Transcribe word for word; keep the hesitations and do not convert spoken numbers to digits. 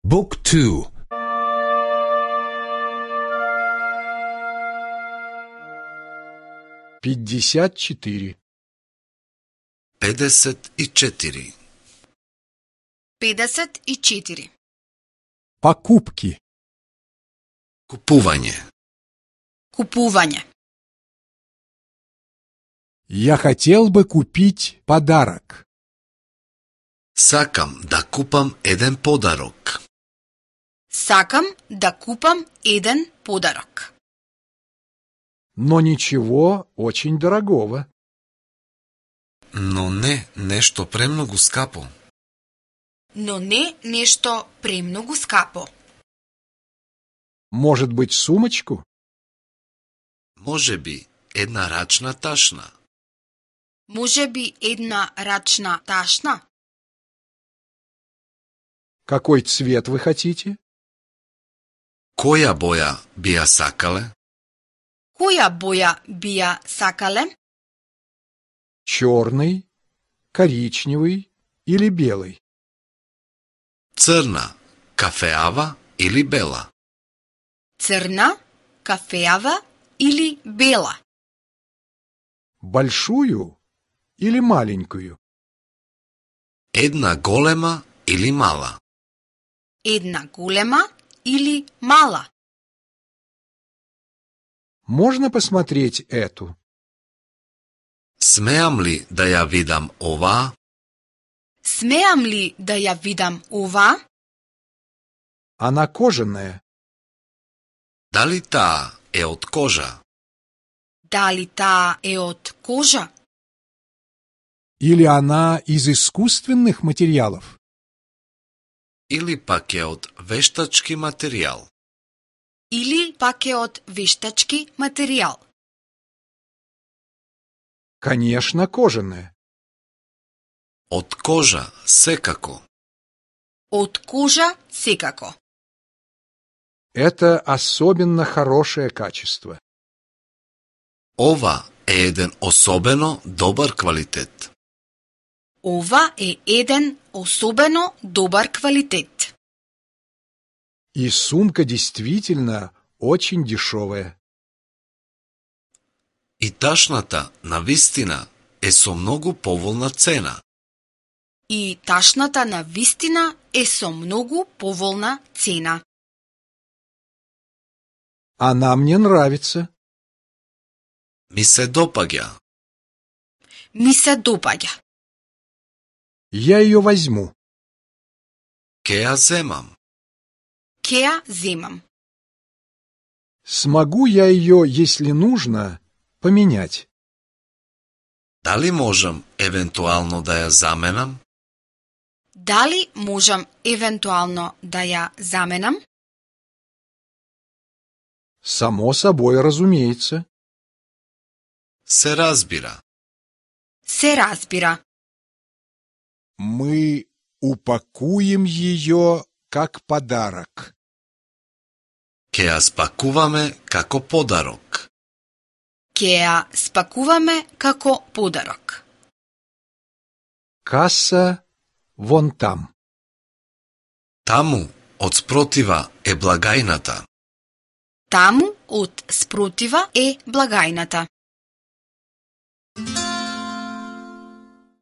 Book two. пятьдесят четыре. педесет и четири. педесет и четири. Покупки. Купување. Купување. Я хотел бы купить подарок. Сакам да купам еден подарок. Сакам да купам еден подарок. Но ничего очень дорогого. Но не нешто премногу скапо. Но не нешто премногу скапо. Может быть, сумочку? Може би една рачна ташна. Може би една рачна ташна? Какой цвет вы хотите? Која боја би ја сакале? Која боја би ја сакале? Черный, коричневый или белый? Црна, кафеава или бела? Црна, кафеава или бела? Большую или маленькую? Една голема или мала? Една голема или мала? Можно посмотреть эту? Смеам ли да ја видам оваа? Смеам ли да ја видам ова? Она кожаная. Дали таа е од кожа? Дали таа е од кожа? Или она из искусственных материалов? Или пак е од вештачки материјал? Или пак е од вештачки материјал? Конечно, кожаная. Од кожа, секако. Од кожа секако. Это особенно хорошее качество. Ова е еден особено добар квалитет. Ова е еден особено добар квалитет. И сумка действительно очень дешевая. И ташната, навистина, е со многу поволна цена. И ташната на вистина е со многу поволна цена. Она мне нравится. Ми се допаѓа. Ми се допаѓа. Я ее возьму. Ке ја земам. Ке ја земам. Смогу я ее, если нужно, поменять? Дали можам евентуално да ја заменам? Дали можам евентуално да ја заменам? Само собой, разумеется. Се разбира. Се разбира. Мы упакуем ее как подарок. Ке ја спакуваме како подарок. Ке ја спакуваме како подарок. Касса вон там. Таму, од спротива, е благајната. Таму од спротива е благајната.